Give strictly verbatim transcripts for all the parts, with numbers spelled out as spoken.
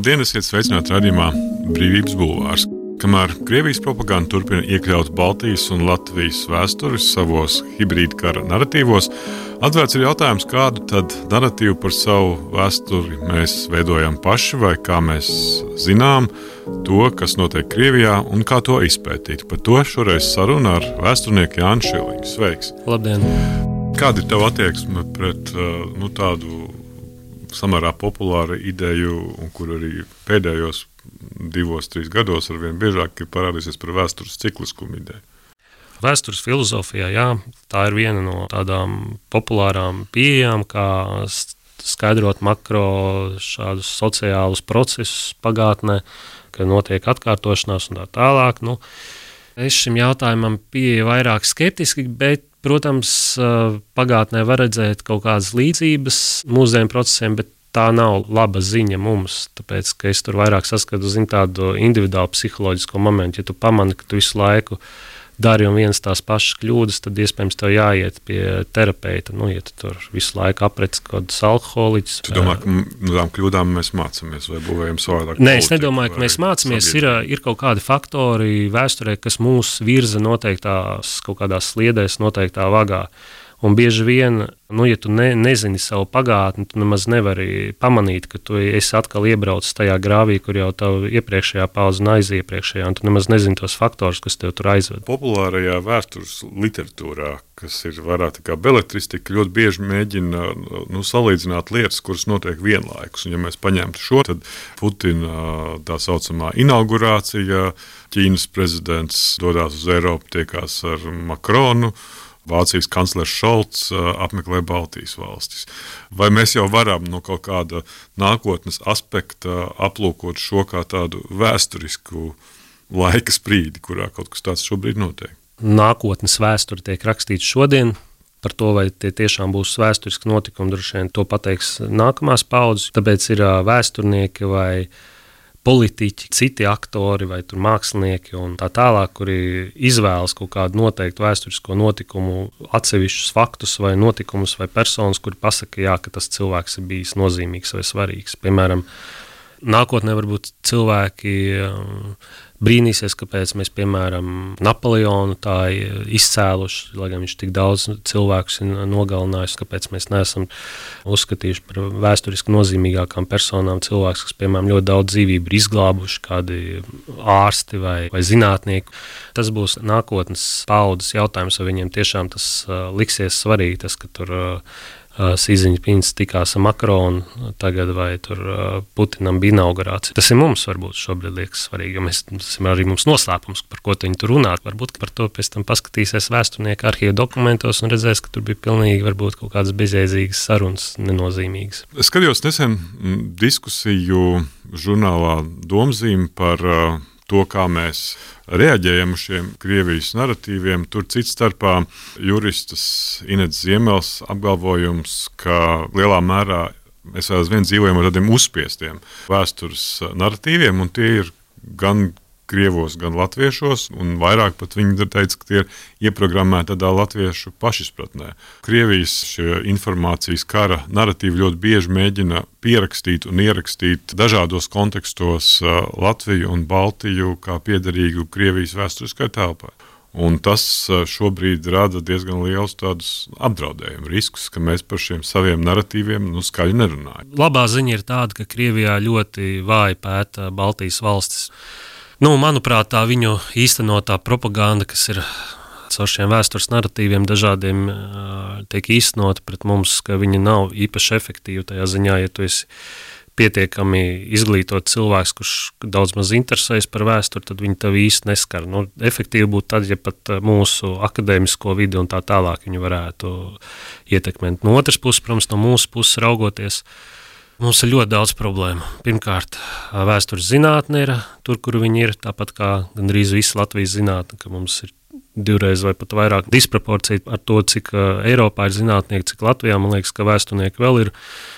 Labdien, esiet sveicināti raidījumā Brīvības bulvārs. Kamēr Krievijas propaganda turpina iekļaut Baltijas un Latvijas vēsturi savos hibrīda kara naratīvos, atvērts ir jautājums, kādu tad naratīvu par savu vēsturi mēs veidojam paši vai kā mēs zinām to, kas notiek Krievijā un kā to izpētīt. Par to šoreiz saruna ar vēsturnieku Jāni Šiliņu. Sveiks! Labdien! Kāda ir tava attieksme pret nu, tādu samērā populāru ideju, un kur arī pēdējos divos, trīs gados arvien biežāk ir parādīsies par vēstures cikliskumu ideju? Vēstures filozofijā, jā, tā ir viena no tādām populārām pieejām, kā skaidrot makro šādus sociālus procesus pagātnē, ka notiek atkārtošanās un tā tālāk. Nu, es šim jautājumam pieeju vairāk skeptiski, bet, protams, pagātnē var redzēt kaut kādas līdzības mūsdienu procesiem, bet tā nav laba ziņa mums, tāpēc, ka es tur vairāk saskatu zin, tādu individuālu psiholoģisko momentu. Ja tu pamani, ka tu visu laiku dari un vienas tās pašas kļūdas, tad iespējams tev jāiet pie terapeita. Nu, ja tu tur visu laiku aprec kaut kādus alkoholiķus. Tu domā, ka no tām kļūdām mēs mācāmies vai būvējam savādāk? Nē, es nedomāju, ka mēs mācāmies. Ir, ir kaut kādi faktori vēsturē, kas mūs virza noteiktās kaut kādās sliedēs, noteiktā vagā. Un bieži vien, nu, ja tu ne, nezini savu pagātni, tu nemaz nevari pamanīt, ka tu esi atkal iebraucis tajā grāvī, kur jau tavu iepriekšējā paudze un aiziepriekšējā, un tu nemaz nezini tos faktorus, kas tev tur aizved. Populārajā vēstures literatūrā, kas ir vairāk tā kā beletristika, ļoti bieži mēģina nu, salīdzināt lietas, kuras notiek vienlaikus. Un ja mēs paņemtu šo, tad Putina tā saucamā inaugurācija, Ķīnas prezidents dodās uz Eiropu, tiekās ar Makronu, Vācijas kanclers Šolts apmeklē Baltijas valstis. Vai mēs jau varam no kaut kāda nākotnes aspekta aplūkot šo kā tādu vēsturisku laika sprīdi, kurā kaut kas tāds šobrīd notiek? Nākotnes vēsture tiek rakstīta šodien. Par to, vai tie tiešām būs vēsturiski notikumi, droši vien to pateiks nākamās paudzes. Tāpēc ir vēsturnieki vai politiķi, citi aktori vai tur mākslinieki un tā tālāk, kuri izvēlas kaut kādu noteiktu vēsturisko notikumu, atsevišķus faktus vai notikumus vai personas, kuri pasaka, jā, ka tas cilvēks ir bijis nozīmīgs vai svarīgs. Piemēram, nākotnē varbūt cilvēki brīnīsies, kāpēc mēs, piemēram, Napoleonu tā izcēluši, lai gan viņš tik daudz cilvēkus ir nogalinājis, kāpēc mēs neesam uzskatījuši par vēsturiski nozīmīgākām personām cilvēks, kas, piemēram, ļoti daudz dzīvību ir izglābuši, kādi ārsti vai, vai zinātnieki. Tas būs nākotnes paudzes jautājums, vai viņiem tiešām tas uh, liksies svarīgi, tas, ka tur uh, Sīziņpins tikās ar Makronu tagad vai tur Putinam bija inaugurācija. Tas ir mums varbūt šobrīd liekas svarīgi, jo mēs, tas ir arī mums noslēpums, par ko viņi tur runā. Varbūt par to pēc tam paskatīsies vēsturnieki arhīvu dokumentos un redzēs, ka tur bija pilnīgi varbūt kaut kādas bezjēdzīgas sarunas, nenozīmīgas. Es skatījos nesen diskusiju žurnālā Domzīme par to, kā mēs reaģējam uz šiem Krievijas naratīviem. Tur cits starpā juristas Inets Ziemels apgalvojums, ka lielā mērā mēs vēl aizvien dzīvojam ar tādiem uzspiestiem vēstures naratīviem, un tie ir gan krievos, gan latviešos, un vairāk pat viņi teica, ka tie ir ieprogrammēti tādā latviešu pašizpratnē. Krievijas šie informācijas kara naratīvi ļoti bieži mēģina pierakstīt un ierakstīt dažādos kontekstos Latviju un Baltiju kā piederīgu Krievijas vēsturiskai telpai. Un tas šobrīd rada diezgan liels tādus apdraudējumu riskus, ka mēs par šiem saviem naratīviem nu, skaļi nerunājam. Labā ziņa ir tāda, ka Krievijā ļoti vāji pēta Baltijas valstis. Nu, manuprāt, tā viņu īstenotā propaganda, kas ir caur šiem vēstures naratīviem dažādiem tiek īstenota pret mums, ka viņi nav īpaši efektīvi tajā ziņā, ja tu esi pietiekami izglītot cilvēks, kurš daudz maz interesējas par vēsturi, tad viņi tev īsti neskar. Nu, efektīvi būtu tad, ja pat mūsu akadēmisko vidi un tā tālāk viņi varētu ietekmēt. No otras puses, protams, no mūsu puses raugoties, mums ir ļoti daudz problēmu. Pirmkārt, vēstures zinātne ir tur, kur viņi ir, tāpat kā gandrīz visa Latvijas zinātne, ka mums ir divreiz vai pat vairāk disproporcija ar to, cik Eiropā ir zinātnieki, cik Latvijā. Man liekas, ka vēsturnieki vēl ir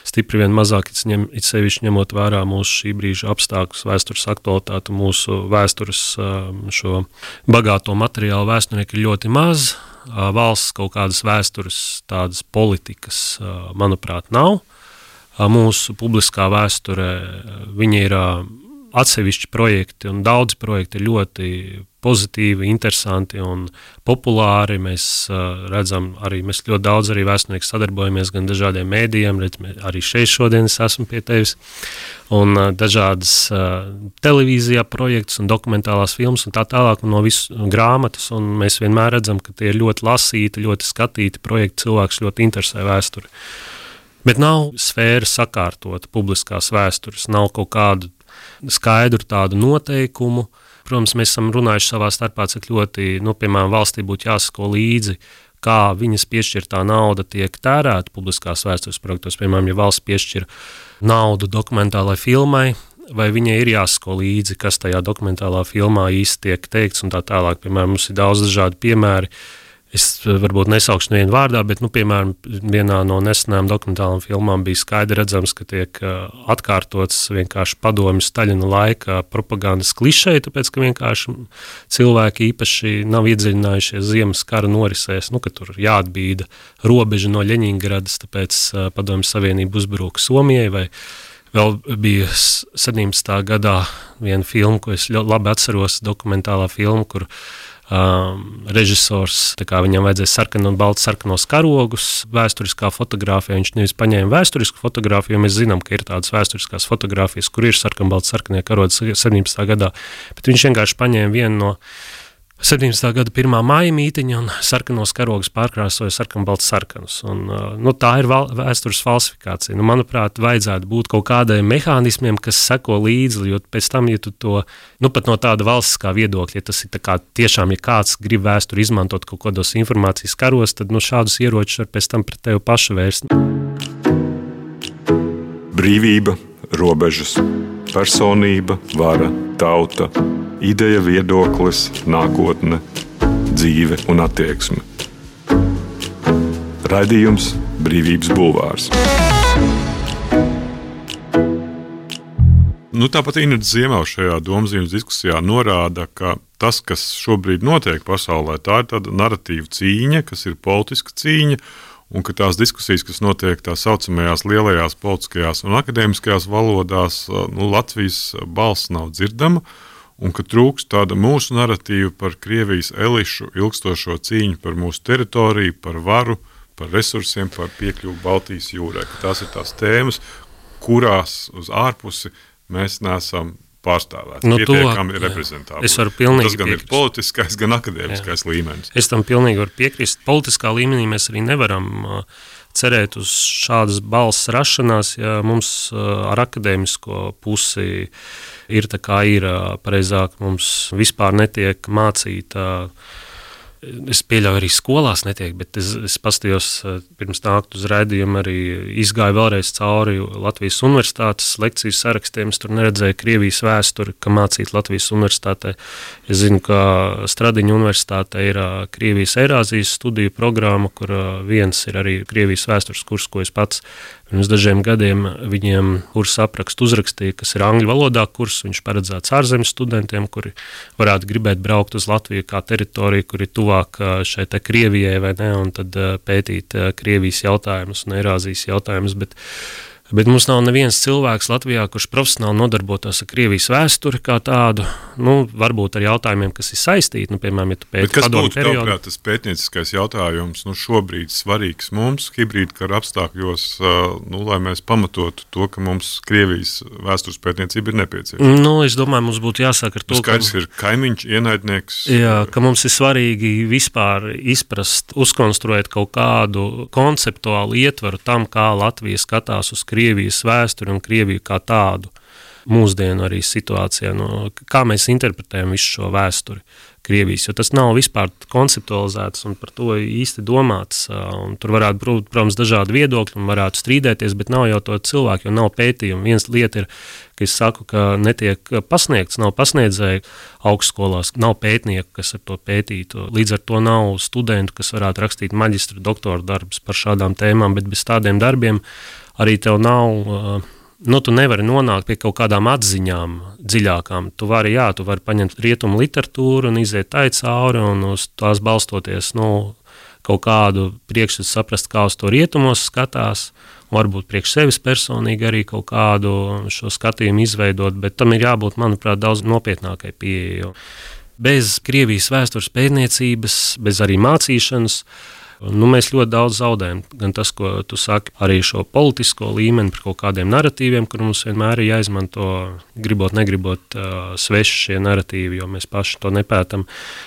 stipri vien mazāk, it sevišķi ņemot vērā mūsu šī brīža apstākļus, vēstures aktualitāti, mūsu vēstures šo bagāto materiālu vēsturnieki ir ļoti maz. Valsts kaut kādas vēstures, tādas politikas, manuprāt, nav. mūsu publiskā vēsturē. Viņi ir atsevišķi projekti, un daudzi projekti ir ļoti pozitīvi, interesanti un populāri. Mēs uh, redzam, arī mēs ļoti daudz arī vēsturnieki sadarbojamies gan dažādiem mēdījiem, redz, arī šeit šodien es esmu pie tevis, un uh, dažādas uh, televīzijā projektus un dokumentālās filmas un tā tālāk, un no visu grāmatas, un mēs vienmēr redzam, ka tie ir ļoti lasīti, ļoti skatīti projekti, cilvēks ļoti interesē vēsturi. Bet nav sfēra sakārtota publiskās vēstures, nav kaut kādu skaidru tādu noteikumu. Protams, mēs esam runājuši savā starpā, cik ļoti, nu, piemēram, valstī būtu jāsako līdzi, kā viņas piešķirtā nauda tiek tērēta publiskās vēstures projektos. Piemēram, ja valsts piešķir naudu dokumentālai filmai, vai viņai ir jāsako līdzi, kas tajā dokumentālā filmā īsti tiek teikts un tā tālāk. Piemēram, mums ir daudz dažādi piemēri. Es varbūt nesaukšu nevienu vārdā, bet, nu, piemēram, vienā no nesenām dokumentālām filmām bija skaidri redzams, ka tiek atkārtots vienkārši padomju Staļina laika propagandas klišeji, tāpēc, ka vienkārši cilvēki īpaši nav iedziļinājušies Ziemas kara norisēs, nu, ka tur jāatbīda robeža no Ļeņingradas, tāpēc padomju Savienība uzbruka Somijai, vai vēl bija septiņdesmitā gadā viena filma, ko es labi atceros, dokumentālā filma, kur Um, režisors, tā kā viņam vajadzēja sarkanu un baltu sarkanos karogus, vēsturiskā fotogrāfija, viņš nevis paņēma vēsturisku fotogrāfiju, jo mēs zinām, ka ir tādas vēsturiskās fotogrāfijas, kur ir sarkanu baltu sarkanie karogi septiņdesmitā gadā, bet viņš vienkārši paņēma vienu no septiņdesmitā gada pirmā māja mītiņa un sarkanos karogus pārkrāsoja sarkanu baltu sarkanus. Un, nu, tā ir val, vēstures falsifikācija. Nu, manuprāt, vajadzētu būt kaut kādiem mehānismiem, kas seko līdzi, jo pēc tam, ja tu to, nu, pat no tāda valstiskā viedokļa, ja tas ir tā kā tiešām, ja kāds grib vēsturi izmantot kaut kādos informācijas karos, tad, nu, šādus ieročus var pēc tam pret tevi pašu vērst. Brīvība, robežas, personība, vara, tauta, ideja, viedoklis, nākotne, dzīve un attieksme. Raidījums Brīvības bulvārs. Nu, tāpat Inets Ziemavs šajā domzīmes diskusijā norāda, ka tas, kas šobrīd notiek pasaulē, tā ir tāda naratīva cīņa, kas ir politiska cīņa, un ka tās diskusijas, kas notiek tā saucamajās lielajās politiskajās un akadēmiskajās valodās, nu, Latvijas balss nav dzirdama, un ka trūkst tāda mūsu naratīva par Krievijas elišu ilgstošo cīņu par mūsu teritoriju, par varu, par resursiem, par piekļuvu Baltijas jūrai. Ka tās ir tās tēmas, kurās uz ārpusi mēs neesam pārstāvēti, nu, pietiekami reprezentāli. Es varu pilnīgi Tas gan piekrist. Ir politiskais, gan akadēmiskais jā. Līmenis. Es tam pilnīgi varu piekrist. Politiskā līmenī mēs arī nevaram uh, cerēt uz šādas balss rašanās, ja mums uh, ar akadēmisko pusi ir tā kā ir, uh, pareizāk mums vispār netiek mācīta. Uh, Es pieļauju, arī skolās netiek, bet es, es pastījos pirms nākt uz raidījumu, arī izgāju vēlreiz cauri Latvijas universitātes lekciju sarakstiem. Es tur neredzēju Krievijas vēsturi, ka mācīt Latvijas universitātē. Es zinu, ka Stradiņa universitātē ir Krievijas Eirāzijas studiju programma, kur viens ir arī Krievijas vēstures kurs, ko es pats pirms dažiem gadiem viņiem kursu aprakstu uzrakstīja, kas ir angļu valodā kurs. Viņš paredzēts ārzemes studentiem, kuri varētu gribēt braukt uz Latviju kā teritoriju, kur ir tuvāk šai te Krievijai vai ne, un tad pētīt Krievijas jautājumus un Eirāzijas jautājumus, bet Bet mums nav neviens cilvēks Latvijā, kurš profesionāli nodarbotos ar Krievijas vēsturi kā tādu, nu, varbūt ar jautājumiem, kas ir saistīti, nu, piemēram, ja tu pēti padomu periodu. Kas būtu, tas pētnieciskais jautājums, nu, šobrīd svarīgs mums, hibrīda kara apstākļos, nu, lai mēs pamatotu to, ka mums Krievijas vēstures pētniecība ir nepieciešama? Nu, es domāju, mums būtu jāsāk ar to, skaidrs, ka... ir kaimiņš, ienaidnieks. Jā, ka mums ir svarīgi vispār izprast, uzkonstruēt kaut kādu konceptuālu ietvaru tam, kā Latvija skatās uz Krieviju. Krievijas vēsturi un Krieviju kā tādu mūsdienu arī situācijā, no, kā mēs interpretējam visu šo vēsturi Krievijas, jo tas nav vispār konceptualizēts un par to īsti domāts, un tur varētu būt, protams, dažādi viedokļi un varētu strīdēties, bet nav jau to cilvēku, jo nav pētījumu. Viens lieta ir, ka es saku, ka netiek pasniegts, nav pasniedzēju augstskolās, nav pētnieku, kas ar to pētītu, līdz ar to nav studentu, kas varētu rakstīt maģistra doktora darbus par šādām tēmām, bet bez tādiem darbiem arī tev nav, nu, tu nevari nonākt pie kaut kādām atziņām dziļākām. Tu vari, jā, tu vari paņemt rietumu literatūru un iziet tai cauri un uz tās balstoties, nu, kaut kādu priekšstatu saprast, kā uz to rietumos skatās, varbūt priekš sevis personīgi arī kaut kādu šo skatījumu izveidot, bet tam ir jābūt, manuprāt, daudz nopietnākai pieejai. Bez Krievijas vēstures pētniecības, bez arī mācīšanas, nu, mēs ļoti daudz zaudējam. Gan tas, ko tu saki, arī šo politisko līmeni par kaut kādiem naratīviem, kur mums vienmēr ir jāizmanto, gribot, negribot, uh, sveši šie naratīvi, jo mēs paši to nepētam.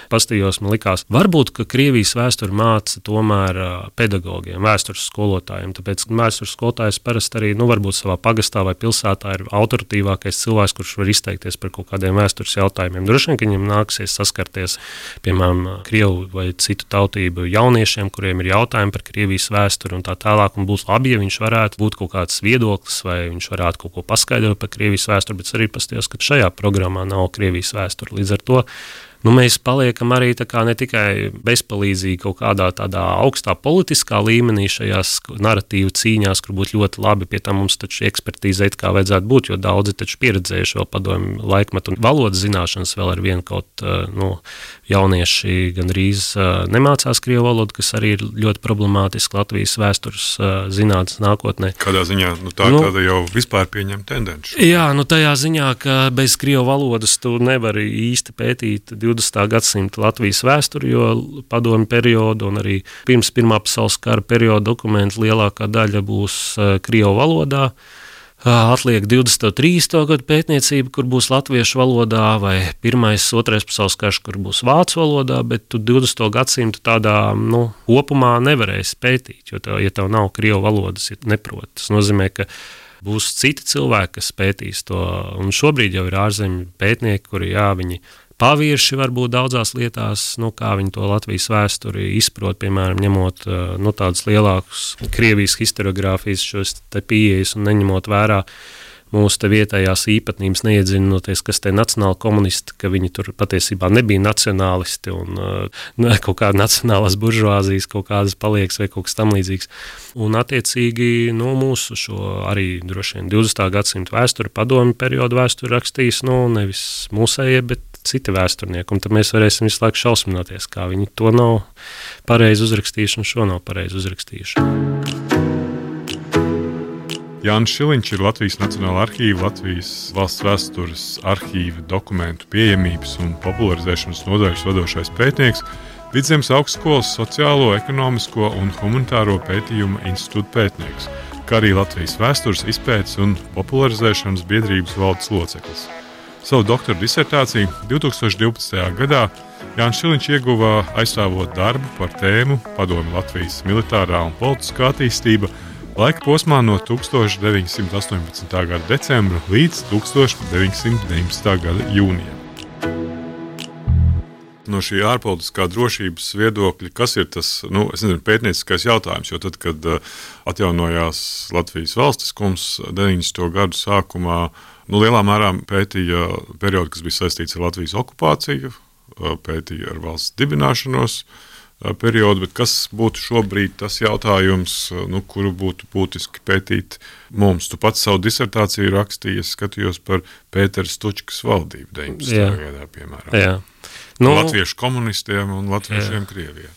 Pastījos man likās, varbūt, ka Krievijas vēsturi māca tomēr uh, pedagogiem, vēstures skolotājiem, tāpēc vēstures skolotājs parasti arī, nu, varbūt savā pagastā vai pilsētā ir autoritīvākais cilvēks, kurš var izteikties par kaut kādiem vēstures jautājumiem. Droši vien, ka viņam nāksies saskarties, piemēram, Krievu vai citu tautību jauniešiem, kuriem ir jautājumi par Krievijas vēsturi un tā tālāk, un būs labi, ja viņš varētu būt kaut kāds viedoklis, vai viņš varētu kaut ko paskaidrot par Krievijas vēsturi, bet arī pastījos, ka šajā programmā nav Krievijas vēsturi. Līdz ar to nu, mēs paliekam arī tā kā ne tikai bezpalīdzīgi kaut kādā tādā augstā politiskā līmenī šajās naratīvu cīņās, kur būtu ļoti labi, pie tam mums taču ekspertīzēt, kā vajadzētu būt, jo daudzi taču pieredzējuši vēl padomju laikmetu un valodas zināšanas vēl ar vienu kaut, nu, jaunieši gandrīz nemācās krievu valodu, kas arī ir ļoti problemātiski Latvijas vēstures zinātnes nākotnē. Kādā ziņā? Nu, tā ir nu, tāda jau vispār pieņemta tendence. Jā, nu tajā ziņā, ka bez krievu valodas tu nevari īsti pētīt divdesmitā gadsimta Latvijas vēsturi, jo padomju periodu un arī pirms Pirmā pasaules kara perioda dokumentu lielākā daļa būs krievu valodā. Atliek divdesmito trīsdesmito gadu pētniecība, kur būs latviešu valodā, vai pirmais, otrais pasaules karš, kur būs vācu valodā, bet tu divdesmito gadsimtu tādā, nu, kopumā nevarēsi pētīt, jo tev, ja tev nav krievu valodas, ja neprot. Tas nozīmē, ka būs citi cilvēki, kas pētīs to, un šobrīd jau ir ārzemju pētnieki, kuri, jā, viņi pavirši varbūt daudzās lietās, nu, kā viņi to Latvijas vēsturi izprot, piemēram, ņemot nu, tādus lielākus Krievijas historiogrāfijas šos te pieejas un neņemot vērā mūsu te vietējās īpatnības, neiedzinoties, kas te nacionāli komunisti, ka viņi tur patiesībā nebija nacionālisti un uh, kaut kāda nacionālās buržuāzijas kaut kādas palieks vai kaut kas tam līdzīgs. Un attiecīgi, nu, mūsu šo arī droši vien divdesmitā gadsimta vēsturi, padomju periodu vēsturi rakstīs, nu, nevis mūsējie, bet citi vēsturnieki, un tad mēs varēsim visu laiku šausmināties, kā viņi to nav pareizi uzrakstījuši un šo nav pareizi uzrakstījuši. Jānis Šiliņš ir Latvijas Nacionālā arhīva, Latvijas valsts vēstures arhīva dokumentu pieejamības un popularizēšanas nodaļas vadošais pētnieks, Vidzemes augstskolas sociālo, ekonomisko un humanitāro pētījumu institūta pētnieks, kā arī Latvijas vēstures izpētes un popularizēšanas biedrības valdes loceklis. Savu doktora disertāciju divtūkstoš divpadsmitajā gadā Jānis Šiliņš ieguva aizstāvot darbu par tēmu Padomju Latvijas militārā un politiskā attīstība laika posmā no tūkstoš deviņsimt astoņpadsmitā gada decembra līdz tūkstoš deviņsimt deviņpadsmitā gada jūnijam. No šī ārpolitiskā drošības viedokļa, kas ir tas, nu, es nezinu, pētnieciskais jautājums, jo tad, kad atjaunojās Latvijas valstiskums deviņdesmito gadu sākumā, nu, lielā mērā pētīja periodu, kas bija saistīts ar Latvijas okupāciju, pētīja ar valsts dibināšanos periodu, bet kas būtu šobrīd tas jautājums, nu, kuru būtu būtiski pētīt mums? Tu pats savu disertāciju rakstīji, es skatījos par Pētera Stučkas valdību deviņdesmitajā gadā, piemēram. Jā. Nu, latviešu komunistiem un latviešiem jā. Krievijā.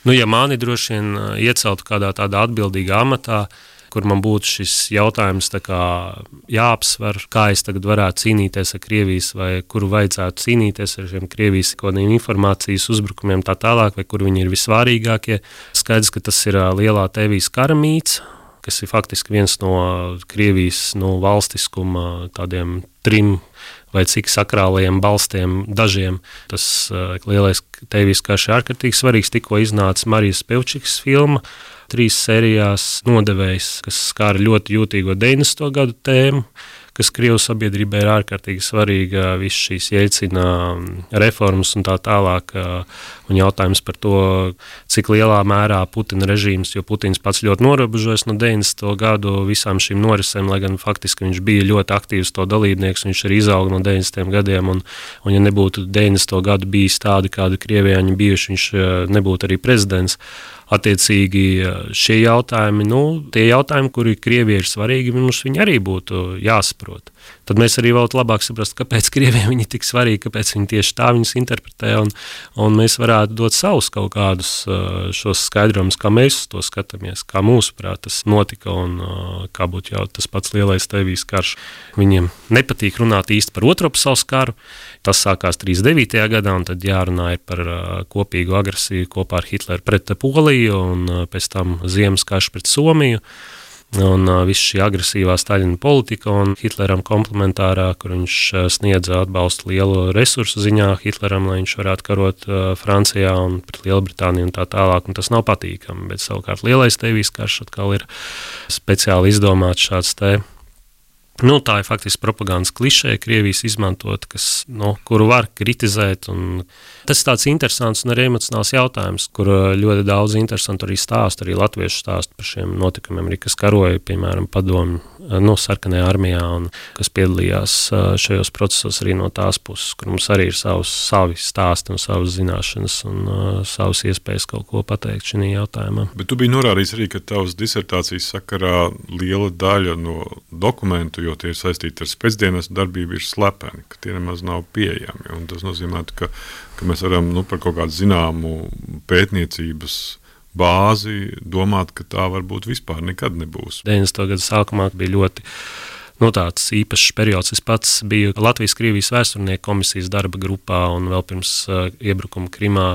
Nu, ja mani droši vien ieceltu kādā tādā atbildīgā amatā, kur man būtu šis jautājums tā kā jāapsver, kā es tagad varētu cīnīties ar Krievijas vai kuru vajadzētu cīnīties ar šiem Krievijas kodiem informācijas uzbrukumiem tā tālāk, vai kur viņi ir visvārīgākie. Skaidrs, ka tas ir lielā Tēvijas kara mīts, kas ir faktiski viens no Krievijas no valstiskuma tādiem trim vai cik sakrālajiem balstiem dažiem. Tas uh, lielais Tēvijas karš ir ārkārtīgi svarīgs, tikko iznāca Marijas Pevčikas filma, trīs sērijās nodevējs, kas skāra ļoti jūtīgo deviņdesmito gadu tēmu, kas Krievu sabiedrībai ir ārkārtīgi svarīga, viss šīs Jeļcina reformas un tā tālāk, un jautājums par to, cik lielā mērā Putina režīms, jo Putins pats ļoti norobežojas no deviņdesmito gadu visām šīm norisēm, lai gan faktiski viņš bija ļoti aktīvs to dalībnieks, viņš arī izauga no deviņdesmitiem gadiem, un, un ja nebūtu deviņdesmito gadu bijis tādi, kādi Krievijā viņi bijuši, viņš nebūtu arī prezidents. Attiecīgi šie jautājumi, nu, tie jautājumi, kuri Krievijai ir svarīgi, mums viņi arī būtu jāsaprot. karot. Tad mēs arī varētu labāk saprast, kāpēc Krievijai viņi ir tik svarīgi, kāpēc viņi tieši tā viņus interpretē, un, un mēs varētu dot savus kaut kādus šos skaidrojumus, kā mēs to skatāmies, kā mūsuprāt tas notika, un kā būtu jau tas pats lielais Tēvijas karš. Viņiem nepatīk runāt īsti par Otro pasaules karu. Tas sākās trīsdesmit devītajā gadā, un tad jārunā par kopīgu agresiju kopā ar Hitleru pret Poliju, un pēc tam ziemas karš pret Somiju. Un uh, viss šī agresīvā Staļina politika un Hitleram komplementārā, kur viņš uh, sniedza atbalstu lielu resursu ziņā Hitleram, lai viņš varētu karot uh, Francijā un pret Lielbritāniju un tā tālāk, un tas nav patīkami, bet savukārt lielais Tēvijas karš atkal ir speciāli izdomāts šāds te. Nu, tā ir faktiski propagandas klišē, Krievijas izmantot, kas, nu, kuru var kritizēt. Un tas ir tāds interesants un arī emocionāls jautājums, kur ļoti daudz interesantu arī stāstu, arī latviešu stāstu par šiem notikumiem, arī kas karoja, piemēram, padomju, nu, sarkanajā armijā, un kas piedalījās šajos procesos arī no tās puses, kur mums arī ir savus, savi stāsti un savas zināšanas un uh, savas iespējas kaut ko pateikt šajā jautājumā. Bet tu biji norādījis arī, ka tavas disertācijas sakarā liela daļa no dokumentu, jo tie ir saistīti ar spēcdienas darbību, ir slepeni, ka tie nemaz nav pieejami. Un tas nozīmē, ka, ka mēs varam nu, par kaut kādu zināmu pētniecības bāzi domāt, ka tā varbūt vispār nekad nebūs. deviņdesmito gadu sākumā bija ļoti nu, tāds īpašs periods. Es pats biju Latvijas-Krievijas vēsturnieku komisijas darba grupā un vēl pirms uh, iebrukuma Krimā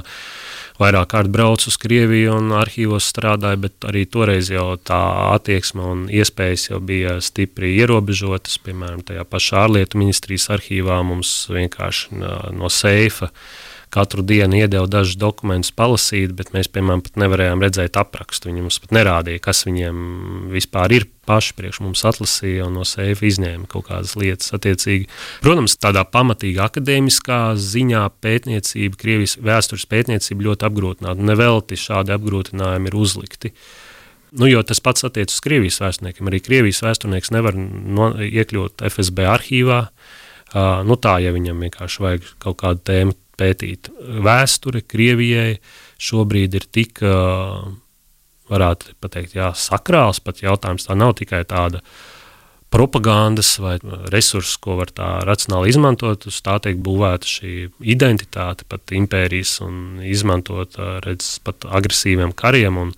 vairāk kārt braucu uz Krieviju un arhīvos strādāju, bet arī toreiz jau tā attieksme un iespējas jau bija stipri ierobežotas. Piemēram, tajā pašā ārlietu ministrijas arhīvā mums vienkārši no seifa katru dienu iedeva dažus dokumentus palasīt, bet mēs, piemēram, pat nevarējām redzēt aprakstu. Viņi mums pat nerādīja, kas viņiem vispār ir, paši priekš mums atlasīja un no seifa izņēma kaut kādas lietas attiecīgi. Protams, tādā pamatīga akadēmiskā ziņā pētniecība, Krievijas vēstures pētniecība ļoti apgrūtināta. Nevelti šādi apgrūtinājumi ir uzlikti. Nu, jo tas pats attiec uz Krievijas vēsturniekiem. Arī Krievijas vēsturnieks nevar no, iekļūt F S B arhīvā. Uh, nu tā, ja viņam vienkārši vajag kaut kādu tēmu pētīt. Vēsture Krievijai šobrīd ir tik, uh, varētu pateikt, jā, sakrāls pat jautājums. Tā nav tikai tāda propagandas vai resursi, ko var tā racionāli izmantot, uz tā tiek būvēta šī identitāte, pat impērijas un izmantot, redz, pat agresīviem kariem, un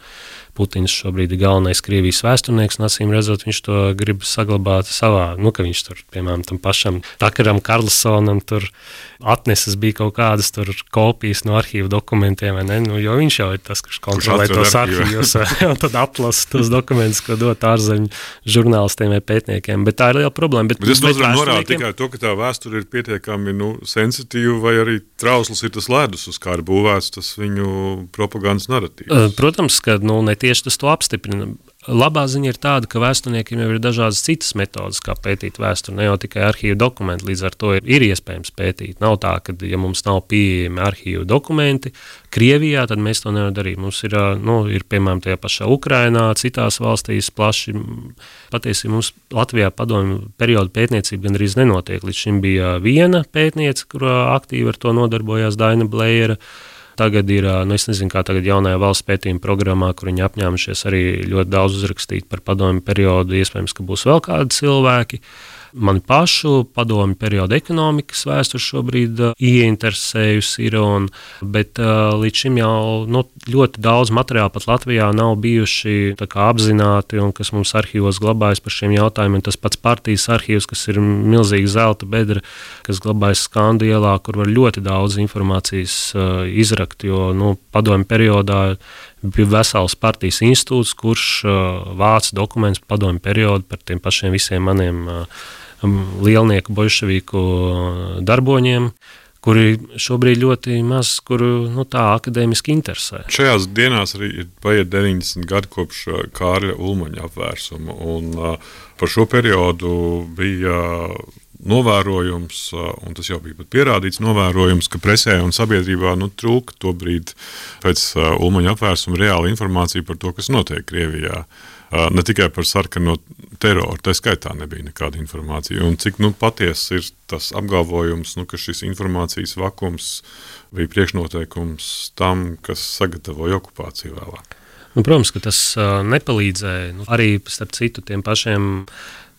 Putins šobrīd ir galvenais Krievijas vēsturnieks, un acīm redzot, viņš to grib saglabāt savā, nu, ka viņš tur, piemēram, tam pašam Takaram Karlsonam tur atneses bija kaut kādas tur kopijas no arhīvu dokumentiem, vai ne, nu, jo viņš jau ir tas, kurš kontrolē tos arhīvus, un tad atlasa tos dokumentus, ko dot ārzemju žurnālistiem vai pētniekiem, bet tā ir liela problēma. Bet, bet es nozīmē norādu tikai to, ka tā vēsture ir pietiekami, nu, sensitīva, vai arī trausls ir tas ledus, uz kā ir būvēts tas viņu propagandas naratīvs. Protams, ka, nu, ne tieši tas to apstiprina. Labā ziņa ir tāda, ka vēsturniekiem jau ir dažādas citas metodas, kā pētīt vēsturi, ne jau tikai arhīvu dokumenti, līdz ar to ir, ir iespējams pētīt. Nav tā, ka, ja mums nav pieejami arhīvu dokumenti Krievijā, tad mēs to nevaram darīt. Mums ir, nu, ir piemēram, tajā pašā Ukrainā, citās valstīs plaši. Patiesībā mums Latvijā padomju periodu pētniecība gandrīz nenotiek. Līdz šim bija viena pētniece, kurā aktīvi ar to nodarbojās Daina Blējera. Tagad ir, nu es nezinu, kā tagad jaunajā valsts pētījuma programmā, kur viņi apņēmušies arī ļoti daudz uzrakstīt par padomju periodu, iespējams, ka būs vēl kādi cilvēki. Mani pašu padomju periodu ekonomikas vēsturi šobrīd uh, ieinteresējusi ir, un, bet uh, līdz šim jau nu, ļoti daudz materiālu pat Latvijā nav bijuši tā kā apzināti, un kas mums arhīvos glabājas par šiem jautājumiem. Tas pats partijas arhīvs, kas ir milzīga zelta bedra, kas glabājas Skandu ielā, kur var ļoti daudz informācijas uh, izrakt, jo nu, padomju periodā bija vesels partijas institūts, kurš uh, vāc dokumentus par padomju periodu par tiem pašiem visiem maniem uh, lielnieku bolševiku darboņiem, kuri šobrīd ļoti maz, kuru nu, tā akadēmiski interesē. Šajās dienās arī ir paiet deviņdesmit gadi kopš Kārļa Ulmaņa apvērsuma, un uh, par šo periodu bija novērojums, un tas jau bija pat pierādīts novērojums, ka presē un sabiedrībā nu, trūka tobrīd pēc uh, Ulmaņa apvērsuma reāla informācija par to, kas notiek Krievijā. Uh, ne tikai par sarkano teroru, tā skaitā nebija nekāda informācija. Un cik nu, patiesi ir tas apgalvojums, nu, ka šis informācijas vakums bija priekšnoteikums tam, kas sagatavoja okupāciju vēlāk. Nu, protams, ka tas uh, nepalīdzēja. Nu, arī starp citu tiem pašiem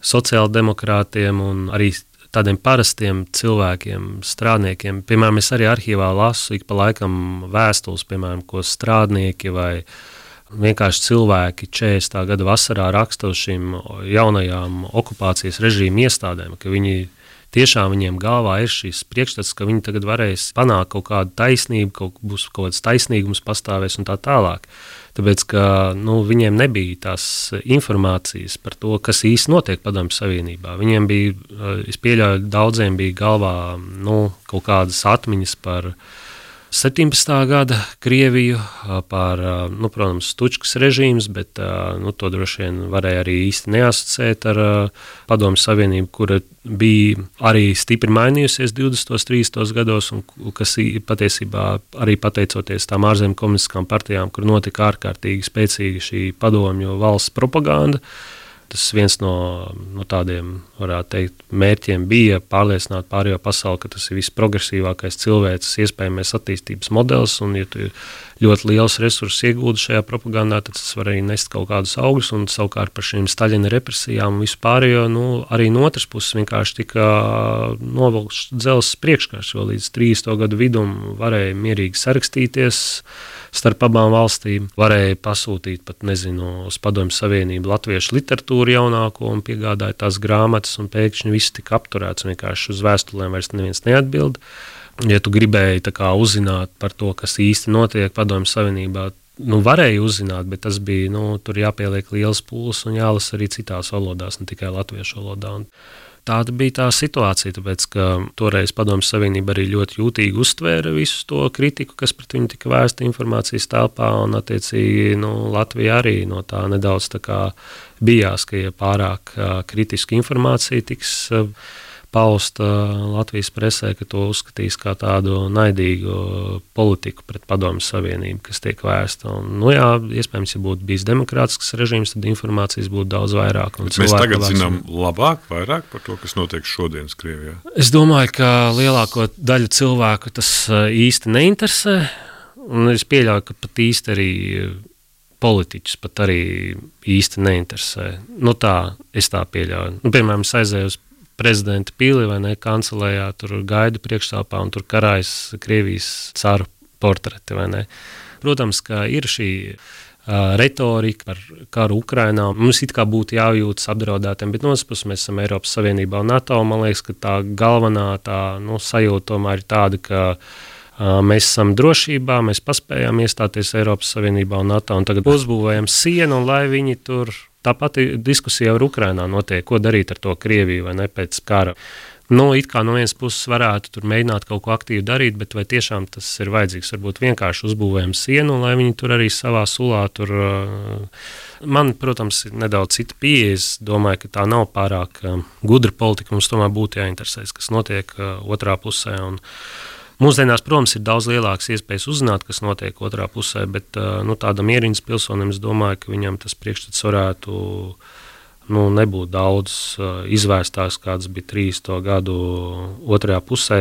sociāldemokrātiem un arī tādiem parastiem cilvēkiem, strādniekiem. Piemēram, es arī arhīvā lasu ik pa laikam vēstules, piemēram, ko strādnieki vai vienkārši cilvēki četrdesmitā gada vasarā raksta uz šīm jaunajām okupācijas režīmu iestādēm, ka viņi tiešām viņiem galvā ir šīs priekšstats, ka viņi tagad varēs panākt kaut kādu taisnību, kaut būs kaut kāds taisnīgums pastāvēs un tā tālāk. Tāpēc, ka nu, viņiem nebija tās informācijas par to, kas īsti notiek Padomju Savienībā. Viņiem bija, es pieļauju, daudziem bija galvā nu, kaut kādas atmiņas par septiņpadsmitā gada Krieviju, par, nu, protams, Stučkas režīms, bet nu, to droši vien varēja arī īsti neasociēt ar Padomju Savienību, kura bija arī stipri mainījusies divdesmitos, trīsdesmitos gados, un kas patiesībā arī pateicoties tām ārzemju komunistiskām partijām, kur notika ārkārtīgi spēcīga šī padomju valsts propaganda. Tas viens no, no tādiem, varētu teikt, mērķiem bija pārliecināt pārējo pasauli, ka tas ir visprogresīvākais cilvēces iespējamais attīstības modelis, un ja tu ļoti liels resursus iegūdi šajā propagandā, tad tas var arī nest kaut kādus augļus, un savukārt par šīm Staļina represijām un visu pārējo, nu, arī no otras puses vienkārši tika novilkts dzelzs priekškārs, jo līdz trīsdesmito gadu vidum varēja mierīgi sarakstīties starp abām valstīm, varēja pasūtīt pat, nezinu, uz Padomju Savienību latviešu literatūru jaunāko un piegādāja tās grāmatas, un pēkšņi viss tika apturēts, vienkārši uz vēstulēm vairs neviens neatbild. Ja tu gribēji tā kā uzzināt par to, kas īsti notiek Padomju Savienībā, nu varēja uzzināt, bet tas bija, nu, tur jāpieliek liels pūles un jālasa arī citās valodās, ne tikai latviešu valodā. Un tāda bija tā situācija, tāpēc, ka toreiz Padomju Savienība arī ļoti jūtīgi uztvēra visu to kritiku, kas pret viņu tika vērsta informācijas telpā, un attiecīgi nu, Latvija arī no tā nedaudz tā kā bijās, ka ja pārāk kritiska informācija tiks pausta Latvijas presē, ka to uzskatīs kā tādu naidīgu politiku pret Padomju Savienību, kas tiek vērsta. Un, nu jā, iespējams, ja būtu bijis demokrātisks režīms, tad informācijas būtu daudz vairāk. Mēs tagad zinām labāk, vairāk par to, kas notiek šodienas Krievijā. Es domāju, ka lielāko daļu cilvēku tas īsti neinteresē, un es pieļauju, ka pat īsti arī politiķus pat arī īsti neinteresē. Nu tā, es tā pieļauju. Nu, piemēram, es aizēju uz prezidenta pili vai ne, kancelējā, tur gaidu priekšstāvā un tur karājas Krievijas caru portreti, vai ne. Protams, ka ir šī uh, retorika par karu Ukrainā. Mums it kā būtu jājūtas apdraudētiem, bet no otras puses mēs esam Eiropas Savienībā un NATO. Man liekas, ka tā galvenā tā, nu, sajūta tomēr ir tāda, ka uh, mēs esam drošībā, mēs paspējām iestāties Eiropas Savienībā un NATO, un tagad uzbūvējam sienu, un lai viņi tur. Tā pati diskusija ar Ukrainā notiek, ko darīt ar to Krieviju vai ne pēc kara. Nu, it kā no vienas puses varētu tur mēģināt kaut ko aktīvi darīt, bet vai tiešām tas ir vajadzīgs? Varbūt vienkārši uzbūvējam sienu, lai viņi tur arī savā sulā tur. Man, protams, ir nedaudz cita pieeja. Es domāju, ka tā nav pārāk gudra politika. Mums tomēr būtu jāinteresēs, kas notiek otrā pusē. Un mūsdienās, protams, ir daudz lielākas iespējas uzzināt, kas notiek otrā pusē, bet nu, tādam ierīnas pilsonim es domāju, ka viņam tas priekšstats varētu nu, nebūt daudz izvērstāks, kāds bija trīsdesmito gadu otrajā pusē.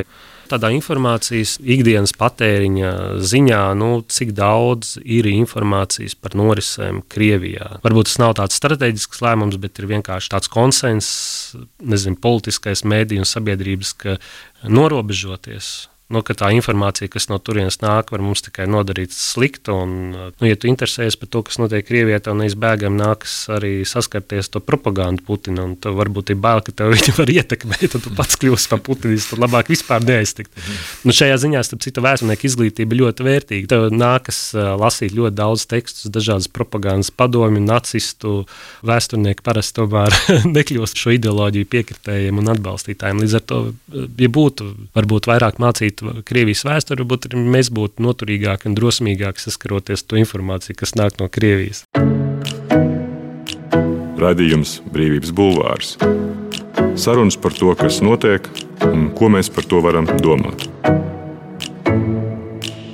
Tādā informācijas ikdienas patēriņa ziņā, nu, cik daudz ir informācijas par norisēm Krievijā. Varbūt tas nav tāds strateģisks lēmums, bet ir vienkārši tāds konsens, nezinu, politiskais mēdī un sabiedrības, ka norobežoties. Nu, ka tā informācija, kas no turienes nāk, var mums tikai nodarīt sliktu. Un, nu, ja tu interesējies par to, kas notiek Krievijā, tev neizbēgami nākas arī saskarties to propagandu Putina. Un tev varbūt ir bail, ka tev viņi var ietekmēt, un tu pats kļūsi par Putinistu, tad labāk vispār neaiztikt. Nu, šajā ziņā, starp citu, vēsturnieku izglītība ļoti vērtīga. Tev nākas lasīt ļoti daudz tekstus, dažādas propagandas padomju, nacistu. Vēsturnieki parasti tomēr nekļūst šo ideoloģiju piekritējiem un atbalstītājiem. Līdz ar to, ja būtu varbūt vairāk mācīt Krievijas vēsturi, varbūt mēs būtu noturīgāki un drosmīgāki saskaroties to informāciju, kas nāk no Krievijas. Raidījums Brīvības bulvārs. Sarunas par to, kas notiek un ko mēs par to varam domāt.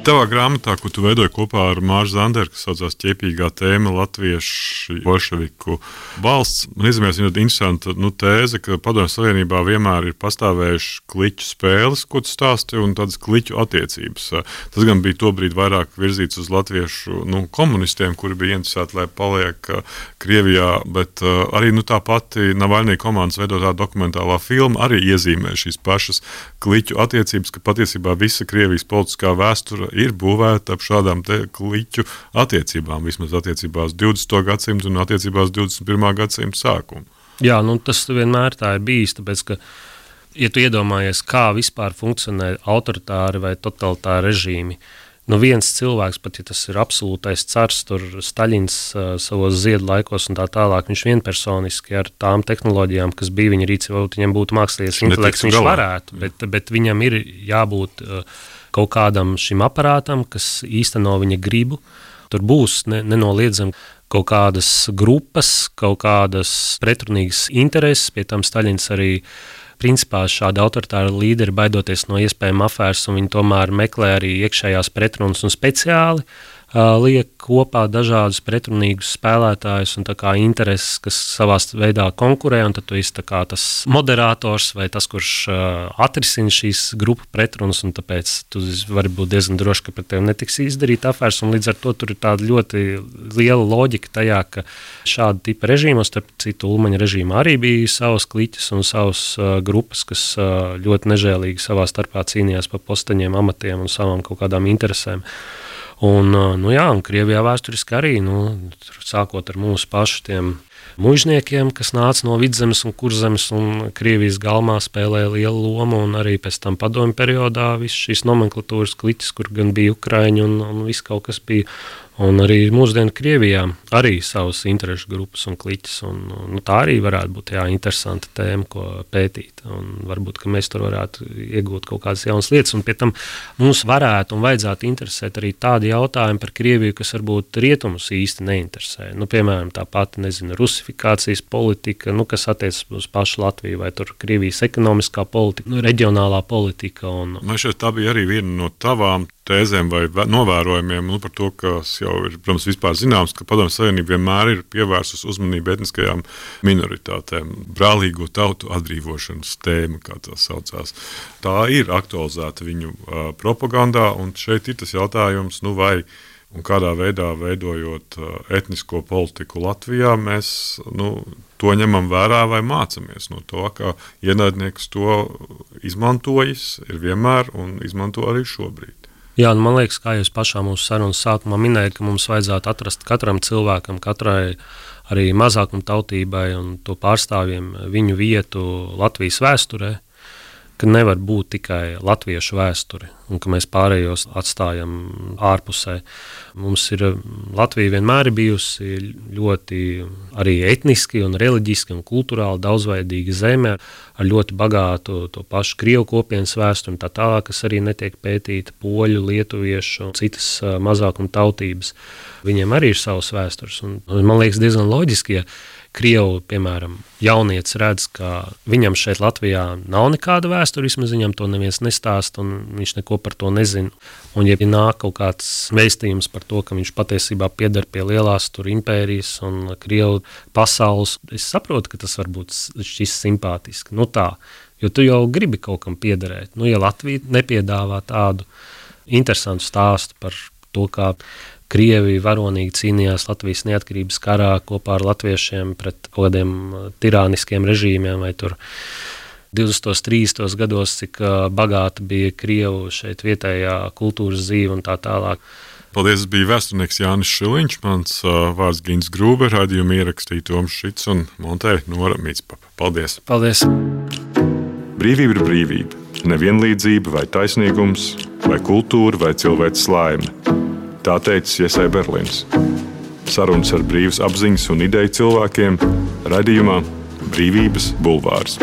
Tavā grāmatā, ko tu veidoji kopā ar Māru Zanderu, kas saucās Ķepīgā tēma latviešu bolševiku valsts, man izmēs ļoti interesanta nu, tēze, ka Padomju Savienībā vienmēr ir pastāvējuši kliķu spēles, ko tu stāsti, un tādas kliķu attiecības. Tas gan bija tobrīd vairāk virzīts uz latviešu nu, komunistiem, kuri bija interesēti, lai paliek Krievijā, bet arī nu, tā pati Navaļnija komandas veidotā dokumentālā filma arī iezīmē šīs pašas kliķu attiecības, ka patiesībā visa Krievijas politiskā vēsture ir būvēta ap šādām te kliķu attiecībām, vismaz attiecībā uz divdesmito gadsimtu un attiecībā uz divdesmit pirmā gadsimta sākumu. Jā, nu tas vienmēr tā ir bijis, tāpēc, ka, ja tu iedomājies, kā vispār funkcionē autoritāri vai totalitāri režīmi, nu viens cilvēks, pat ja tas ir absolūtais cars, tur Staļins uh, savos ziedu laikos un tā tālāk, viņš vienpersoniski ar tām tehnoloģijām, kas bija viņa rīcībā, viņam būtu mākslīgais intelekts, viņš varētu, bet, bet viņam ir jābūt uh, kaut kādam šim aparātam, kas īsteno viņa gribu. Tur būs ne, nenoliedzami kaut kādas grupas, kaut kādas pretrunīgas intereses, pie tam Staļins arī principā šādi autoritāri līderi baidoties no iespējama afēras, un viņi tomēr meklē arī iekšējās pretrunas un speciāli uh, liek kopā dažādus pretrunīgus spēlētājus un tā kā intereses, kas savā veidā konkurē, un tad tu esi tā kā tas moderators vai tas, kurš uh, atrisina šīs grupu pretrunas, un tāpēc tu vari būt diezgan droši, ka pret tevi netiks izdarīt afēras, un līdz ar to tur ir tāda ļoti liela loģika tajā, ka šāda tipa režīmos, starp citu Ulmaņa režīmā arī bija savas kliķis un savas uh, grupas, kas uh, ļoti nežēlīgi savā starpā cīnījās par posteņiem, amatiem un savām kaut kādām interesēm. Un, nu jā, un Krievijā vēsturiski arī, nu, sākot ar mūsu pašu tiem mužniekiem, kas nāca no Vidzemes un Kurzemes un Krievijas galmā spēlēja lielu lomu, un arī pēc tam padomju periodā viss šīs nomenklatūras kliķis, kur gan bija Ukraiņi un, un viss kaut kas bija. Un arī mūsdienu Krievijā arī savas interešu grupas un kliķis. Un, nu, tā arī varētu būt jā, interesanta tēma, ko pētīt. Un varbūt, ka mēs tur varētu iegūt kaut kādas jaunas lietas. Un pie tam mums varētu un vajadzētu interesēt arī tādi jautājumi par Krieviju, kas varbūt rietumus īsti neinteresē. Nu, piemēram, tā pati, nezinu, rusifikācijas politika, nu, kas attiecas uz pašu Latviju, vai tur Krievijas ekonomiskā politika, nu, reģionālā politika. Un... Man šeit tā bija arī viena no tavām tēzēm vai novērojumiem nu, par to, kas jau ir, protams, vispār zināms, ka Padomju Savienība vienmēr ir pievērsus uzmanību etniskajām minoritātēm. Brālīgo tautu atbrīvošanas tēma, kā tā saucās. Tā ir aktualizēta viņu uh, propagandā, un šeit ir tas jautājums, nu vai un kādā veidā veidojot uh, etnisko politiku Latvijā, mēs nu, to ņemam vērā vai mācamies no to, ka ienaidnieks to izmantojas, ir vienmēr un izmanto arī šobrīd. Jā, nu man liekas, kā jūs pašā mūsu sarunas sākumā minējat, ka mums vajadzētu atrast katram cilvēkam, katrai arī mazākuma tautībai un to pārstāvjiem viņu vietu Latvijas vēsturē, ka nevar būt tikai latviešu vēsture un ka mēs pārējos atstājam ārpusē. Mums ir, Latvija vienmēr ir bijusi ļoti arī etniski un reliģiski un kulturāli daudzveidīga zeme ar ļoti bagātu to pašu Krievu kopienas vēsturi un tā tālāk, kas arī netiek pētīta poļu, lietuviešu un citas mazākuma tautības. Viņiem arī ir savas vēstures. Un, man liekas diezgan loģiski, ja Krievu, piemēram, jaunietis redz, ka viņam šeit Latvijā nav nekāda vēsture, vismaz viņam to neviens nestāst un viņš neko par to nezina. Un ja nāk kaut kāds vēstījums par to, ka viņš patiesībā pieder pie lielās tur impērijas un Krievu pasaules, es saprotu, ka tas varbūt šķis simpātiski. Nu tā, jo tu jau gribi kaut kam piederēt. Nu, ja Latvija nepiedāvā tādu interesantu stāstu par to, kā Krievi varonīgi cīnījās Latvijas neatkarības karā kopā ar latviešiem pret kaut kādiem tirāniskiem režīmiem vai tur divdesmitos, trīsdesmitos gados, cik bagāta bija Krievu šeit vietējā kultūras dzīve un tā tālāk. Paldies, bija vēsturnieks Jānis Šiliņš, mans uh, vārds Gins Grūbe, raidījumu ierakstīja Toms Šits un montēja Nora Mītspapa. Paldies! Paldies! Brīvība ir brīvība, nevienlīdzība vai taisnīgums, vai kultūra vai cilvēks laime. Tā teicis Iesai Berlins. Sarunas ar brīvas apziņas un ideju cilvēkiem raidījumā Brīvības bulvārs.